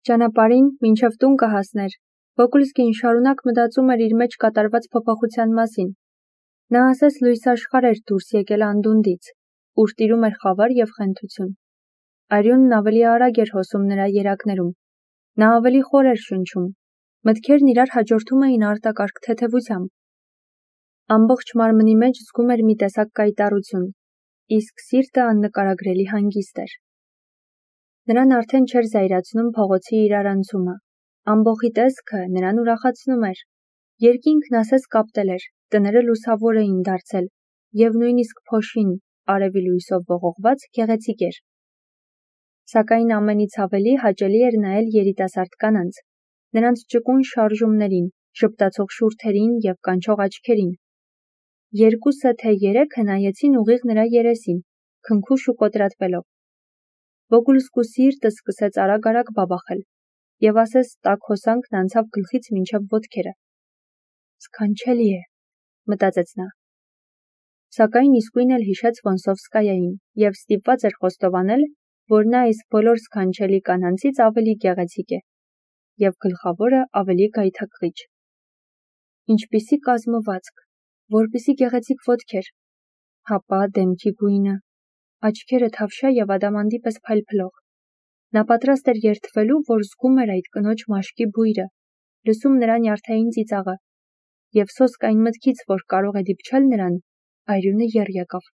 Ճանապարհին, մինչև տուն կհասներ, Վոկուլսկին շարունակ մտածում էր իր մեջ կատարված փոփոխության մասին։ Նա ասես լույսաշխարհ էր դուրս եկել անդունդից, ուր տիրում էր խավար և խենթություն։ Արյունն ավելի արագ էր հոսում նրա երակներում։ Նա ավելի խոր էր շնչում։ Մտքերն իրար հաջորդում էին արտակարգ թեթևությամբ։ Ամբողջ մարմնի մեջ զգում էր մի տեսակ կայտառություն, իսկ սիրտը աննկարագրելի հանգիստ էր։ Նրան արդեն չէր զայրացնում փողոցի իրարանցումը։ Ամբոխի տեսքը նրան ուրախացնում էր։ Երկինքն ասես կապտել էր, տները լուսավոր էին դարձել, և նույնիսկ փոշին, արևի լույսով ողողված, գեղեցիկ էր։ Սակայն ամենից ավելի հաճելի էր նայել երիտասարդ կանանց, նրանց ճկուն շարժումներին, ժպտացող շուրթերին և կանչող աչքերին։ Երկուսը թե երեքը նայեցին ուղիղ նրա երեսին, քնքուշ ու կոտրատվելով։ Վոկուլսկու սիրտը սկսեց արագ-արագ բաբախել, և ասես տաք հոսանքն անցավ գլխից մինչև ոտքերը։ «Սքանչելի է», մտածեց նա։ Սակայն իսկույն էլ հիշեց Վոնսովսկայային և ստիպված էր խոստովանել, որ նա այս բոլոր սքանչելի կանանցից ավելի գեղեցիկ է, և գլխավորը ավելի գայթակղիչ։ Ինչպիսի կազմվածք, որպիսի գեղեցիկ ոտքեր, հապա դեմքի գույնը, աչքերը թավշյա և ադամանդի պես փայլփլող։ Նա պատրաստ էր երդվելու, որ զգում էր այդ կնոջ մաշկի բույրը, լսում նրա նյարդային ծիծաղը, և սոսկ այն մտքից, որ կարող է դիպչել նրան, արյունը եռ եկավ։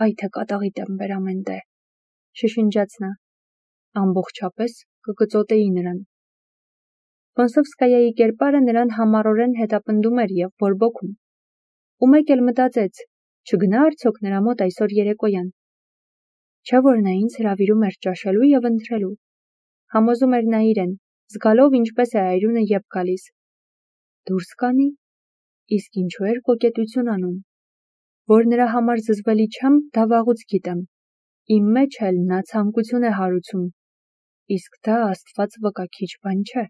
«Այ թե կատաղի տեմ բեր ամեն տե», շշնջաց նա։ Ամբողջապես կկծոտեի նրան։ Վոնսովսկայայի կերպարը նրան համառորեն հետապնդում էր և բորբոքում։ Ու մեկ էլ մտածեց, չգնա արդյոք նրա մոտ այսօր երեկոյան։ Չէ՞ որ նա ինձ հրավիրում էր ճաշելու և ընթրելու։ Համոզում էր նա իրեն, զգալով ինչպես է արյունը եփ գալիս։ Դուրս կանի, իսկ ինչու էր կոկետություն անում։ Որ նրա համար զզվելի չեմ, դա վաղուց գիտեմ։ Իմ մեջ էլ նա ցանկություն է հարուցում, իսկ դա Աստված վկա քիչ բան չէ։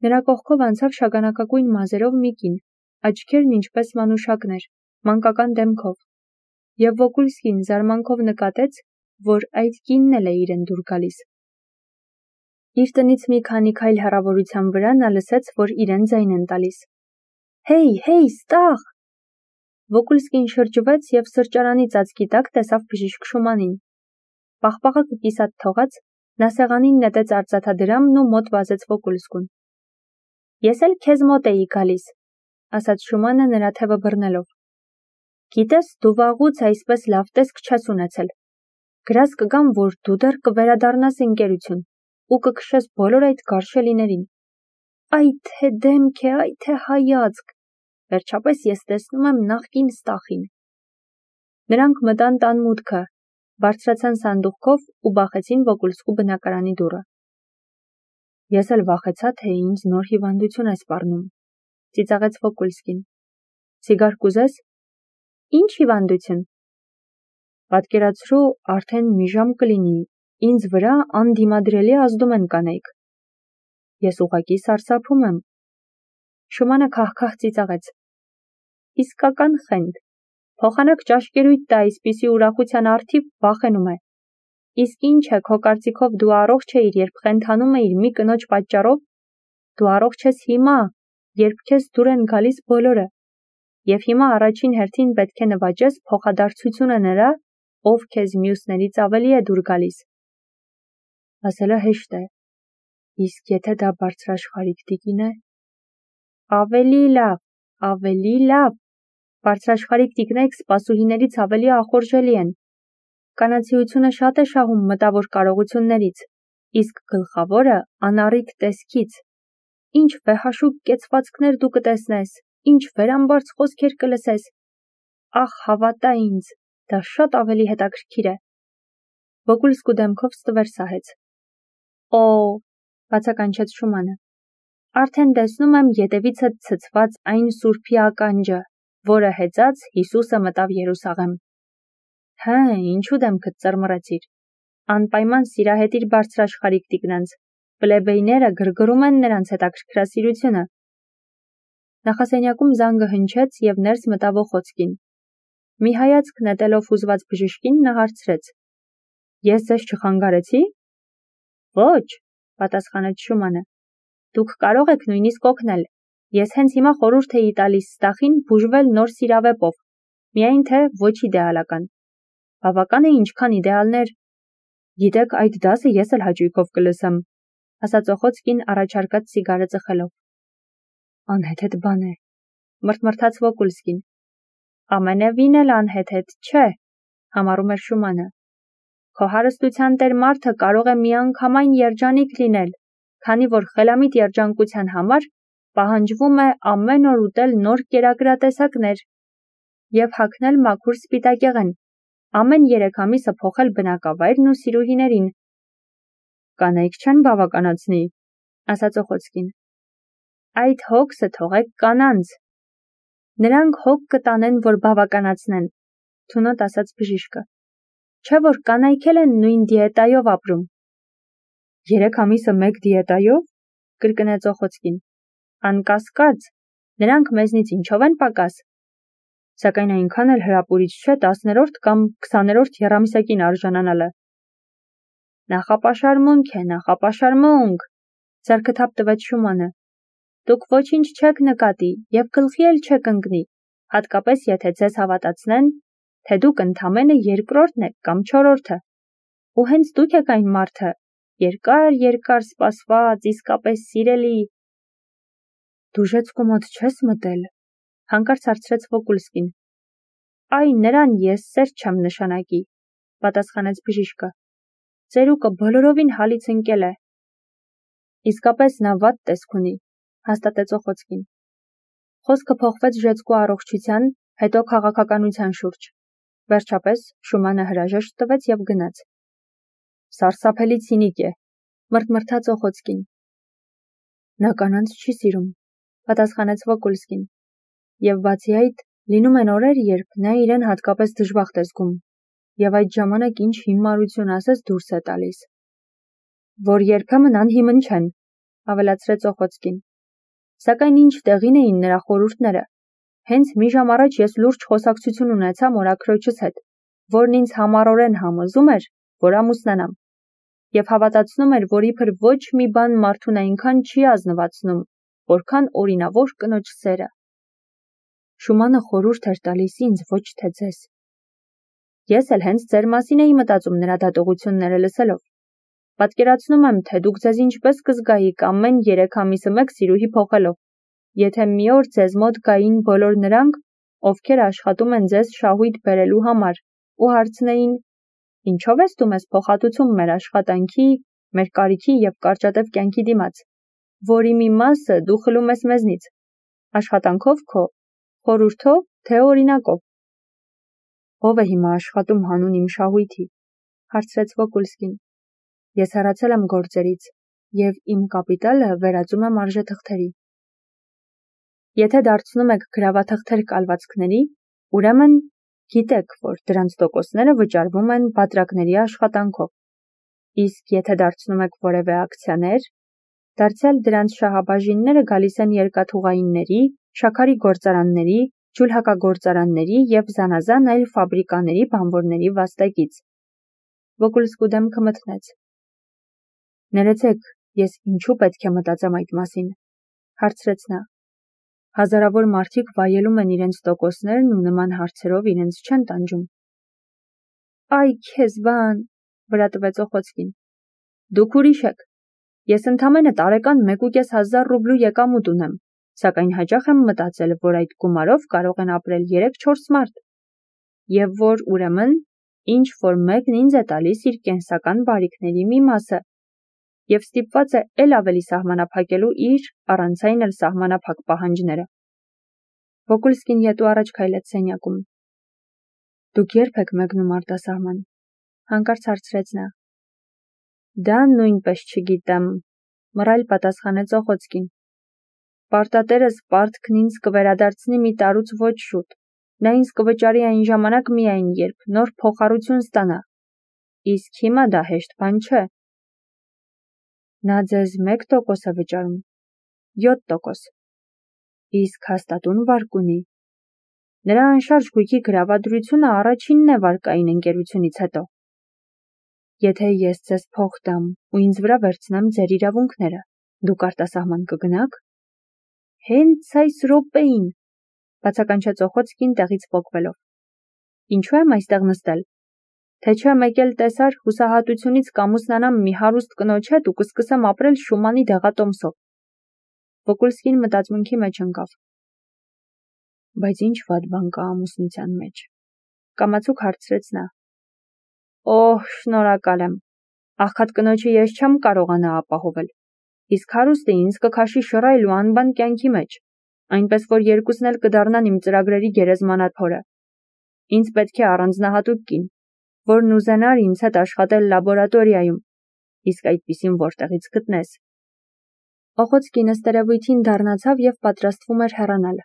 Նրա կողքով անցավ շագանակագույն մազերով մի կին, աչքերն ինչպես մանուշակներ, մանկական դեմքով, և Վոկուլսկին զարմանքով նկատեց, որ այդ կինն էլ է իրեն դուր գալիս։ Իր տնից մի քանի քայլ հեռավորության վրա նա լսեց, որ իրեն ձայն են տալիս։ «Հեյ, հեյ, ստաղ»։ Վոկուլսկին շրջվեց և սրճարանի ծածկի տակ տեսավ բժիշկ Շումանին։ Պաղպաղակը կիսատ թողած, նա սեղանին նետեց արծաթադրամն ու մոտ վազեց Վոկուլսկուն։ «Ես էլ քեզ մոտ էի գալիս», ասաց Շումանը նրա թևը բռնելով։ «Գիտես, դու վաղուց այսպես լավ տեսք չես ունեցել։ Գրած կգամ, որ դու դեռ կվերադառնաս ընկերություն ու կքշես բոլոր այդ գարշելիներին։ Այ թե դեմք է, այ թե հայացք։ Վերջապես ես տեսնում եմ նախկին Ստախին»։ Նրանք մտան տան մուտքը, բարձրացան սանդուղքով ու բախեցին Վոկուլսկու բնակարանի դուռը։ Ես էլ վախեցա, թե ինձ նոր հիվանդություն է սպառնում, ծիծաղեց Վոկուլսկին։ Սիգար կուզես։ Ինչ հիվանդություն։ Պատկերացրու, արդեն մի ժամ կլինի, ինձ վրա անդիմադրելի ազդում են կանայք։ Ես ուղղակի սարսափում եմ։ Շումանը քահ-քահ ծիծաղեց։ Իսկական խենթ։ Փոխանակ ճաշկերույթ տա այսպիսի ուրախության առթիվ վախենում է։ Իսկ ինչ է, քո կարծիքով դու առողջ էիր, երբ խենթանում էիր մի կնոջ պատճառով։ Դու առողջ ես հիմա, երբ քեզ դուր են գալիս բոլորը։ Եվ հիմա առաջին հերթին պետք է նվաճես փոխադարձությունը նրա, ով քեզ մյուսներից ավելի է դուր գալիս։ Ասելը հեշտ է, իսկ եթե դա բարձրաշխարհիկ տիկին է։ Ավելի լավ, ավելի լավ։ Բարձրաշխարհիկ տիկնայք սպասուհիներից ավելի ախորժելի են։ Կանացիությունը շատ է շահում մտավոր կարողություններից, իսկ գլխավորը անառիկ տեսքից։ Ինչ վեհաշուկ կեցվածքներ դու կտեսնես, ինչ վերամբարձ խոսքեր կլսես։ Ախ, հավատա ինձ, դա շատ ավելի հետաքրքիր է։ Վոկուլսկու դեմքով ստվեր սահեց։ Օ, բացականչեց Շումանը։ Արդեն տեսնում եմ ետևիցդ ցցված այն սուրբի ականջը, որը հեծած Հիսուսը մտավ Երուսաղեմ։ Հը, ինչու դեմքդ ծռմռեցիր։ Անպայման սիրահետիր բարձրաշխարհիկ տիկնանց, պլեբեյները գրգռում են նրանց հետաքրքրասիրությունը։ Նախասենյակում զանգը հնչեց և ներս մտավ Օխոցկին։ Մի հայացք նետելով հուզված բժշկին նա հարցրեց. Ես ձեզ չխանգարեցի։ Ոչ, պատասխանեց Շումանը։ Դուք կարող եք նույնիսկ օգնել։ Ես հենց հիմա խորհուրդ էի տալիս Ստախին բուժվել նոր սիրավեպով, միայն թե ոչ իդեալական։ Բավական է ինչքան իդեալներ։ Գիտեք, այդ դասը ես էլ հաճույքով կլսեմ, ասաց Օխոցկին առաջարկած սիգարը ծխելով։ Անհեթեթ բան է, մրթմրթաց Վոկուլսկին։ Ամենևին էլ անհեթեթ չէ, համառում էր Շումանը։ Քո հարստության տեր մարդը կարող է միանգամայն երջանիկ լինել, քանի որ խելամիտ երջանկության համար պահանջվում է ամեն օր ուտել նոր կերակրատեսակներ և հագնել մաքուր սպիտակեղեն, ամեն 3 ամիսը փոխել բնակավայրն ու սիրուհիներին։ Կանայք չեն բավականացնի, ասաց Օխոցկին։ Այդ հոգսը թողեք կանանց։ Նրանք հոգ կտանեն, որ բավականացնեն, թունոտ ասաց բժիշկը։ Չէ որ կանայք էլ են նույն դիետայով ապրում։ 3 ամիսը մեկ դիետայով, կրկնեց Օխոցկին։ Անկասկած, նրանք մեզնից ինչով են պակաս։ Սակայն այնքան էլ հրապուրիչ չէ 10-րդ կամ 20-րդ եռամիսակին արժանանալը։ Նախապաշարմունք է, նախապաշարմունք, ձեռքթափ տվեց Շումանը։ Դուք ոչինչ չեք նկատի և գլխի էլ չեք ընկնի, հատկապես եթե ձեզ հավատացնեն, թե դուք ընդամենը 2-րդն եք կամ 4-րդը։ Ու հենց դուք եք այն մարդը, երկար սպասված, իսկապես սիրելի։ Դուժեցկու մոտ չես մտել, հանկարծ հարցրեց Վոկուլսկին։ Այ նրան ես սեր չեմ նշանակի, պատասխանեց բժիշկը։ Ծերուկը բոլորովին հալից ընկել է։ Իսկապես նա վատ տեսք ունի, հաստատեց Օխոցկին։ Խոսքը փոխվեց ժեցկու առողջության, հետո քաղաքականության շուրջ։ Վերջապես Շումանը հրաժեշտ տվեց և գնաց։ Սարսափելի ցինիկ է, մրթմրթաց Օխոցկին։ Նա կանանց չի սիրում, պատասխանեց Վոկուլսկին։ Եվ բացի այդ, լինում են օրեր, երբ նա իրեն հատկապես դժբախտ է զգում, և այդ ժամանակ ինչ հիմարություն ասես դուրս է տալիս։ Որ երբեմն անհիմն չեն, ավելացրեց Օխոցկին։ Սակայն ինչ տեղին էին նրա խորհուրդները։ Հենց մի ժամ առաջ ես լուրջ խոսակցություն ունեցա մորաքրոջս հետ, որն ինձ համառորեն համոզում էր, որ ամուսնանամ, և հավատացնում էր, որ իբր ոչ մի բան մարդուն այնքան չի ազնվացնում, որքան օրինավոր կնոջ սերը։ Շումանը խորհուրդ էր տալիս ինձ, ոչ թե ձեզ։ Ես էլ հենց ձեր մասին էի մտածում նրա դատողությունները լսելով։ Պատկերացնում եմ, թե դուք ձեզ ինչպես կզգայիք ամեն 3 ամիսը մեկ սիրուհի փոխելով, եթե մի օր ձեզ մոտ գային բոլոր նրանք, ովքեր աշխատում են ձեզ շահույթ բերելու համար, ու հարցնեին. Ինչով ես դու մեզ փոխհատուցում մեր աշխատանքի, մեր կարիքի և կարճատև կյանքի դիմաց, որի մի մասը դու խլում ես մեզնից, աշխատանքով քո, խորհուրդով, թե օրինակով։ Ո՞վ է հիմա աշխատում հանուն իմ շահույթի, հարցրեց Վոկուլսկին։ Ես հեռացել եմ գործերից և իմ կապիտալը վերածում եմ արժեթղթերի։ Եթե դարձնում եք գրավաթղթեր կալվածքների, ուրեմն գիտեք, որ դրանց տոկոսները վճարվում են բատրակների աշխատանքով։ Իսկ եթե դարձնում եք որևէ ակցիաներ, դարձյալ դրանց շահաբաժինները գալիս են երկաթուղայինների, շաքարի գործարանների, ջուլհակագործարանների և զանազան այլ ֆաբրիկաների բանվորների վաստակից։ Վոկուլսկու դեմքը մթնեց։ Ներեցեք, ես ինչու պետք է մտածեմ այդ մասին, հարցրեց նա։ Հազարավոր մարդիկ վայելում են իրենց տոկոսներն ու նման հարցերով իրենց չեն տանջում։ Այ քեզ բան, վրա տվեց Օխոցկին։ Դուք ուրիշ եք։ Ես ընդամենը տարեկան 1.500 ռուբլու եկամուտ ունեմ, սակայն հաճախ եմ մտածել, որ այդ գումարով կարող են ապրել 3-4 մարդ, և որ ուրեմն ինչ որ մեկն ինձ է տալիս իր կենսական բարիքների մի մասը, և ստիպված է էլ ավելի սահմանափակելու իր առանց այն էլ սահմանափակ պահանջները։ Վոկուլսկին ետու առաջ քայլեց սենյակում։ Դուք երբ եք մեկնում արտասահման, հանկարծ հարցրեց նա։ Դա նույնպես չգիտեմ, մռայլ պատասխանեց Օխոցկին։ Պարտատերս պարտքն ինձ կվերադարձնի մի տարուց ոչ շուտ։ Նա ինձ կվճարի այն ժամանակ միայն, երբ նոր փոխառություն ստանա։ Իսկ հիմա դա հեշտ բան չէ։ Նա ձեզ 1% է վճարում, 7%։ Իսկ հաստատուն վարկ ունի։ Նրա անշարժ գույքի գրավադրությունը առաջինն է վարկային ընկերությունից հետո։ Եթե ես ձեզ փող տամ ու ինձ վրա վերցնեմ ձեր իրավունքները, դուք արտասահման կգնաք։ Հենց այս րոպեին, բացականչեց Օխոցկին տեղից պոկվելով։ Ինչու եմ այստեղ նստել։ Թե չէ մեկ էլ տեսար հուսահատությունից կամուսնանամ մի հարուստ կնոջ հետ ու կսկսեմ ապրել Շումանի դեղատոմսով։ Վոկուլսկին մտածմունքի մեջ ընկավ։ Բայց ինչ վատ բան կա ամուսնության մեջ։ Կամացուկ հարցրեց նա։ Օհ, շնորհակալ եմ։ Աղքատ կնոջը ես չեմ կարողանա ապահովել։ Իսկ հարուստը ինձ կքաշի շռայլ ու անբան կյանքի մեջ, այնպես որ երկուսն էլ կդառնան իմ ծրագրերի գերեզմանափորը։ Ինձ պետք է առանձնահատուկ կին, որն ուզենար ինձ հետ աշխատել լաբորատորիայում, իսկ այդպիսին որտեղից գտնես։ Օխոցկին ըստերևույթին դառնացավ և պատրաստվում էր հեռանալ։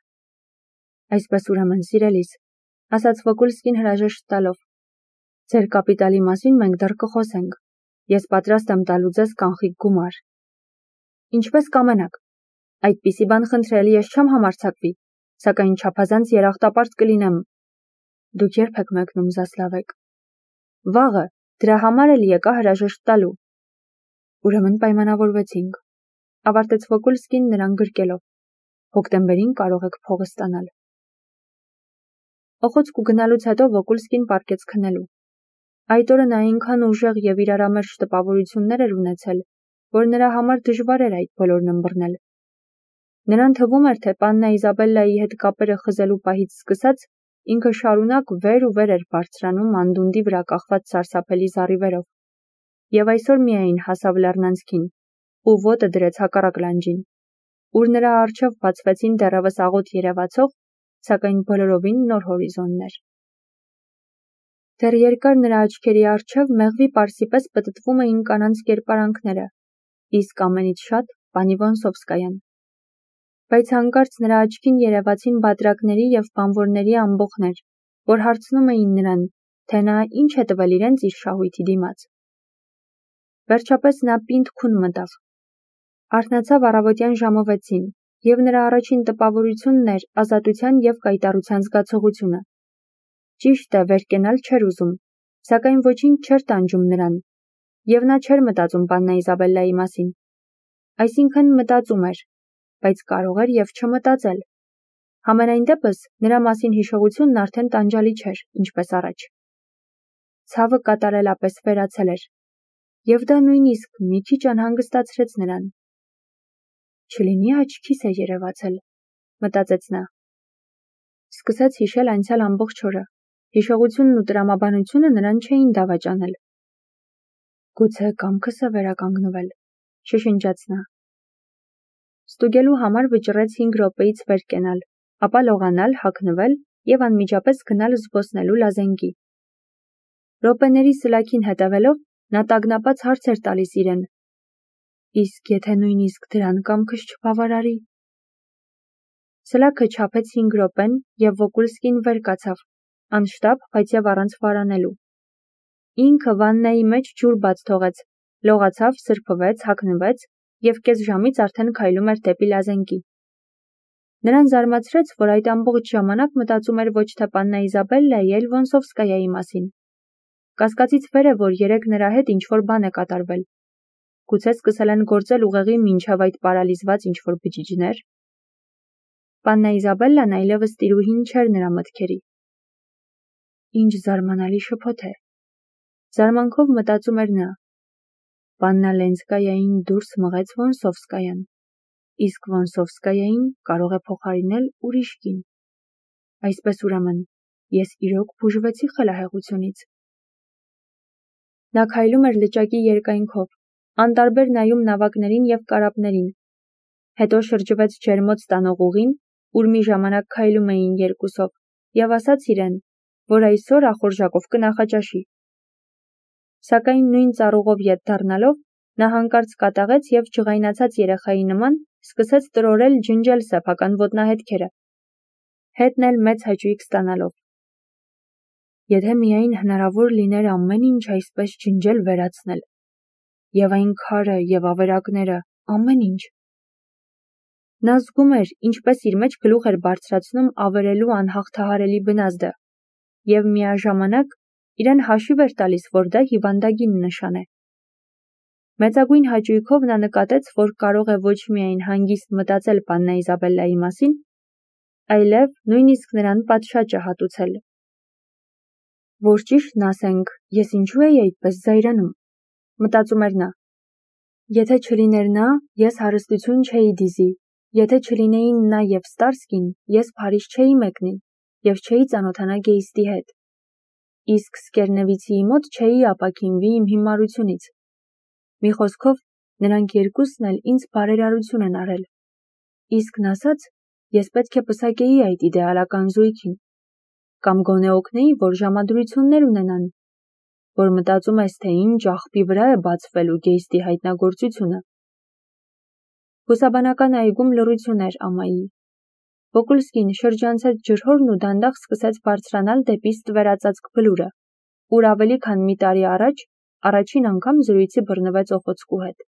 Այսպես ուրեմն, սիրելիս, ասաց Վոկուլսկին հրաժեշտ տալով։ Ձեր կապիտալի մասին մենք դեռ կխոսենք։ Ես պատրաստ եմ տալու ձեզ կանխիկ գումար։ Ինչպես կամենաք։ Այդպիսի բան խնդրել ես չեմ համարձակվի, սակայն չափազանց երախտապարտ կլինեմ։ Դուք երբ եք մեկնում Զասլավեկ։ Վաղը, դրա համար էլ եկա հրաժեշտ տալու։ Ուրեմն պայմանավորվեցինք, ավարտեց Վոկուլսկին նրան գրկելով։ Հոկտեմբերին կարող եք փողը ստանալ։ Օխոցկու գնալուց հետո Վոկուլսկին պառկեց քնելու։ Այդ օրը նա այնքան ուժեղ և իրարամերժ տպավորություններ էր ունեցել, որ նրա համար դժվար էր այդ բոլորն ըմբռնել։ Նրան թվում էր, թե պաննա Իզաբելլայի հետ կապերը խզելու պահից սկսած, ինքը շարունակ վեր ու վեր էր բարձրանում անդունդի վրա կախված սարսափելի զառիվերով։ Եվ այսօր միայն հասավ լեռնանցքին, ու ոտը դրեց հակառակ լանջին, ուր նրա առջև բացվեցին դեռևս աղոտ երևացող, սակայն բոլորովին նոր հորիզոններ։ Դեռ երկար նրա աչքերի առջև մեղվի պարսի պես պտտվում էին կանանց կերպարանքները, իսկ ամենից շատ պանի Վոնսովսկայան։ Բայց հանկարծ նրա աչքին երևացին բادرակների և բանվորների ամբոխներ, որ հարցնում էին նրան, թե նա ինչ է տվել իրենց իր շահույթի դիմաց։ Վերջապես նա պինդ քուն մտավ։ Արթնացավ առավոտյան ժամը 6-ին, և նրա առաջին տպավորությունն էր ազատության և կայտառության զգացողությունը։ Ճիշտ է, վեր կենալ չէր ուզում, սակայն ոչինչ չէր տանջում նրան, և նա չէր մտածում պաննա Իզաբելլայի մասին։ Այսինքն մտածում էր, բայց կարող էր և չմտածել։ Համենայն դեպս նրա մասին հիշողությունն արդեն տանջալի չէր, ինչպես առաջ։ Ցավը կատարելապես վերացել էր, և դա նույնիսկ մի քիչ անհանգստացրեց նրան։ Չլինի աչքիս է երևացել, մտածեց նա։ Սկսեց հիշել անցյալ ամբողջ օրը, հիշողությունն ու տրամաբանությունը նրան չէին դավաճանել։ Գուցե կամքս է վերականգնվել, շշնջաց նա։ Ստուգելու համար վճռեց 5 րոպեից վեր կենալ, ապա լողանալ, հագնվել և անմիջապես գնալ զբոսնելու Լազենգի։ Րոպեների սլաքին հետևելով, նա տագնապած հարց էր տալիս իրեն. իսկ եթե նույնիսկ դրան կամքս չբավարարի։ Սլաքը չափեց 5 րոպեն, և Վոկուլսկին վեր կացավ, անշտապ, բայց և առանց վարանելու։ Ինքը վաննայի մեջ ջուր բաց թողեց, լողացավ, սրբվեց, հագնվեց և կես ժամից արդեն քայլում էր դեպի Լազենգի։ Նրան զարմացրեց, որ այդ ամբողջ ժամանակ մտածում էր ոչ թե պաննա Իզաբելլայի, այլ Վոնսովսկայայի մասին։ Կասկածից վեր է, որ երեկ նրա հետ ինչ-որ բան է կատարվել։ Գուցե սկսել են գործել ուղեղի մինչև այդ պարալիզված ինչ-որ բջիջներ։ Պաննա Իզաբելլան այլևս տիրուհին չէր նրա մտքերի։ Ինչ զարմանալի շփոթ է։ Զարմանքով մտածում էր նա։ Պաննա Լենսկայային դուրս մղեց Վոնսովսկայան, իսկ Վոնսովսկայային կարող է փոխարինել ուրիշ կին։ Այսպես ուրեմն, ես իրոք բուժվեցի խելահեղությունից։ Նա քայլում էր լճակի երկայնքով, անտարբեր նայում նավակներին և կարապներին։ Հետո շրջվեց ջերմոց տանող ուղին, ուր մի ժամանակ քայլում էին երկուսով, և ասաց իրեն, որ այսօր ախորժակով կնախաճաշի։ Սակայն նույն ծառուղով ետ դառնալով, նա հանկարծ կատաղեց և ջղայնացած երեխայի նման սկսեց տրորել ջնջել սեփական ոտնահետքերը, հետն էլ մեծ հաճույք ստանալով։ Եթե միայն հնարավոր լիներ ամեն ինչ այսպես ջնջել վերացնել, և այն քարը, և ավերակները, ամեն ինչ։ Նա զգում էր, ինչպես իր մեջ գլուխ էր բարձրացնում ավերելու անհաղթահարելի բնազդը, և միաժամանակ իրեն հաշիվ էր տալիս, որ դա հիվանդագին նշան է։ Մեծագույն հաճույքով նա նկատեց, որ կարող է ոչ միայն հանգիստ մտածել պաննա Իզաբելլայի մասին, այլև նույնիսկ նրան պատշաճ հատուցել։ Որ ճիշտն ասենք, ես ինչու էի այդպես զայրանում, մտածում էր նա։ Եթե չլիներ նա, ես հարստություն չէի դիզի, եթե չլինեին նա և Ստարսկին, ես Փարիզ չէի մեկնի և չէի ծանոթանա Գեյստի հետ։ Իսկ Սկերնևիցիի մոտ չէի ապաքինվի իմ հիմարությունից։ Մի խոսքով, նրանք երկուսն էլ ինձ բարերարություն են արել։ Իսկն ասած, ես պետք է պսակեի այդ իդեալական զույգին, կամ գոնե օգնեի, որ ժամադրություններ ունենան, որ մտածում ես, թե ինչ աղբի վրա է բացվելու Գեյստի հայտնագործությունը։ Բուսաբանական այգում լռություն էր ամայի։ Վոկուլսկին շրջանցեց ջրհորն ու դանդաղ սկսեց բարձրանալ դեպի ստվերածածկ բլուրը, ուր ավելի քան մի տարի առաջ առաջին անգամ զրույցի բռնվեց Օխոցկու հետ։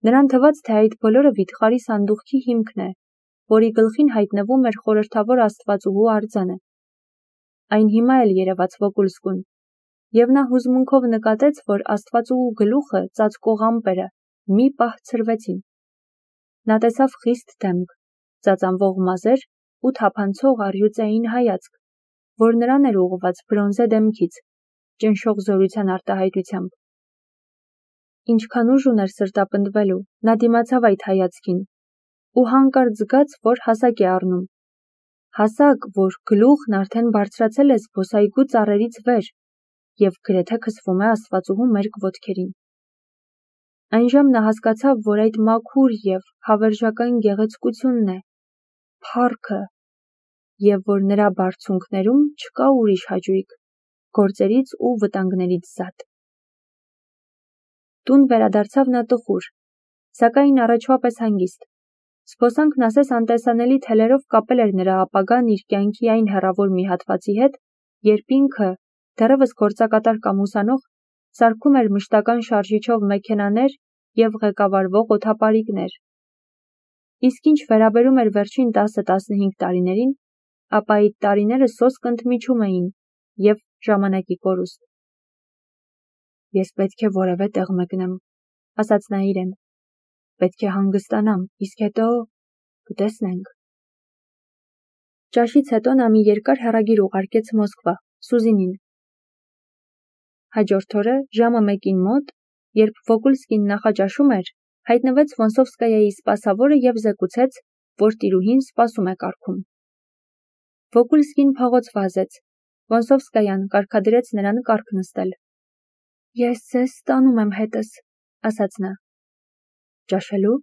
Նրան թվաց, թե այդ բոլորը վիթխարի սանդուղքի հիմքն է, որի գլխին հայտնվում էր խորհրդավոր աստվածուհու արձանը։ Այն հիմա էլ երևաց Վոկուլսկուն, և նա հուզմունքով նկատեց, որ աստվածուհու գլուխը, ծածկող ամպերը մի պահ ցրվեցին։ Նա տեսավ խիստ դեմք, ծածանվող մազեր ու թափանցող առյուծային հայացք, որ նրան էր ուղղված բրոնզե դեմքից, ճնշող զորության արտահայտությամբ։ Ինչքան ուժ ուներ սրտապնդվելու, նա դիմացավ այդ հայացքին ու հանկարծ զգաց, որ հասակ է առնում։ Հասակ, որ գլուխն արդեն բարձրացել է զբոսայգու ծառերից վեր և գրեթե քսվում է աստվածուհու մերկ ոտքերին։ Այնժամ նա հասկացավ, որ այդ մաքուր և հավերժական գեղեցկությունն է, փառքը, և որ նրա բարձունքներում չկա ուրիշ հաճույք, գործերից ու վտանգներից զատ։ Տուն վերադարձավ նա տխուր, սակայն առաջվա պես հանգիստ։ Զբոսանքն ասես անտեսանելի թելերով կապել էր նրա ապագան իր կյանքի այն հեռավոր մի հատվածի հետ, երբ ինքը, դեռևս գործակատար կամ ուսանող, սարքում էր մշտական շարժիչով մեքենաներ և ղեկավարվող օդապարիկներ։ Իսկ ինչ վերաբերում էր վերջին 10-15 տարիներին, ապա այդ տարիները սոսկ ընդմիջում էին և ժամանակի կորուստ։ Ես պետք է որևէ տեղ մեկնեմ, ասաց նա իրեն։ Պետք է հանգստանամ, իսկ հետո կտեսնենք։ Ճաշից հետո նա մի երկար հեռագիր ուղարկեց Մոսկվա, Սուզինին։ Հաջորդ օրը ժամը 1-ին մոտ, երբ Վոկուլսկին նախաճաշում էր, հայտնվեց Վոնսովսկայայի սպասավորը և զեկուցեց, որ տիրուհին սպասում է կառքում։ Վոկուլսկին փողոց վազեց։ Վոնսովսկայան կարգադրեց նրան կառք նստել։ Ես ձեզ ստանում եմ հետս, ասաց նա։ Ճաշելու։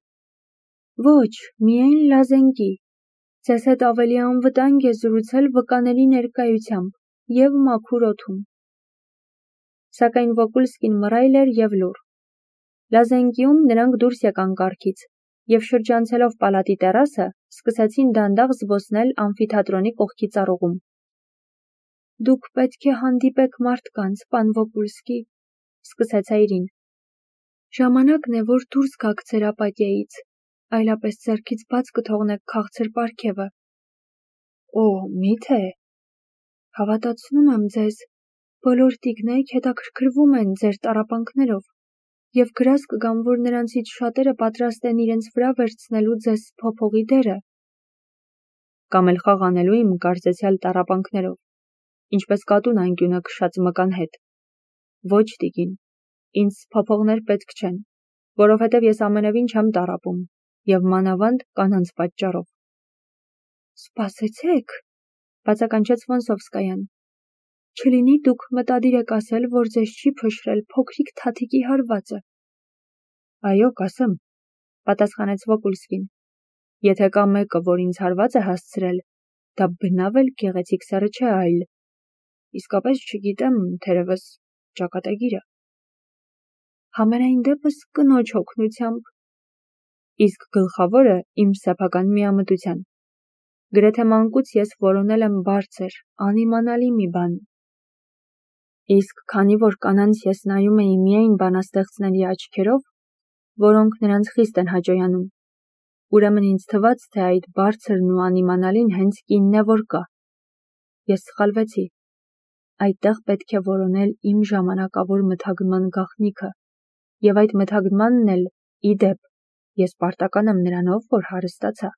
Ոչ, միայն լազենկի։ Ձեզ հետ ավելի անվտանգ է զրուցել վկաների ներկայությամբ և մաքուր օդում։ Սակայն Վոկուլսկին մռայլ էր և լուռ։ Լազենկիում նրանք դուրս եկան կառքից և շրջանցելով պալատի տերասը, սկսեցին դանդաղ զբոսնել ամֆիթատրոնի կողքի ծառուղում։ Դուք պետք է հանդիպեք մարդկանց, պան Վոկուլսկի, սկսեց Այրին։ Ժամանակն է, որ դուրս գաք ձեր ապատիայից, այլապես ձեռքից բաց կթողնեք քաղցր պարգևը։ Օ, միթե։ Հավատացնում եմ ձեզ, բոլոր տիկնայք հետաքրքրվում են ձեր տառապանքներով և գրազ կգամ, որ նրանցից շատերը պատրաստ են իրենց վրա վերցնելու ձեզ փոփոխի դերը։ Կամ էլ խաղ անելու իմ կարծեցյալ տառապանքներով, ինչպես կատուն անկյունը քշած մկան հետ։ Ոչ, տիկին, ինձ փոփոխներ պետք չեն, որովհետև ես ամենևին չեմ տառապում և մանավանդ կանանց պատճառով։ Սպասեցեք, բացականչեց Վոնսովսկայան։ Չլինի դուք մտադիր եք ասել, որ ձեզ չի փշրել փոքրիկ թաթիկի հարվածը։ Այո, կասեմ, պատասխանեց Վոկուլսկին։ Եթե կա մեկը, որ ինձ հարված է հասցրել, դա բնավ էլ գեղեցիկ սերը չէ, այլ իսկապես չգիտեմ, թերևս ճակատագիրը։ Համենայն դեպս կնոջ օգնությամբ։ Իսկ գլխավորը իմ սեփական միամտության։ Գրեթե մանկուց ես որոնել եմ բարձր, անիմանալի մի բան։ Իսկ քանի որ կանանց ես նայում էի միայն բանաստեղծների աչքերով, որոնք նրանց խիստ են հաճոյանում, ուրեմն ինձ թվաց, թե այդ բարձրն ու անիմանալին հենց կինն է, որ կա։ Ես սխալվեցի։ այդտեղ պետք է որոնել իմ ժամանակավոր մթագնման գաղտնիքը, և այդ մթագնմանն էլ, ի դեպ, ես պարտական եմ նրանով, որ հարստացա։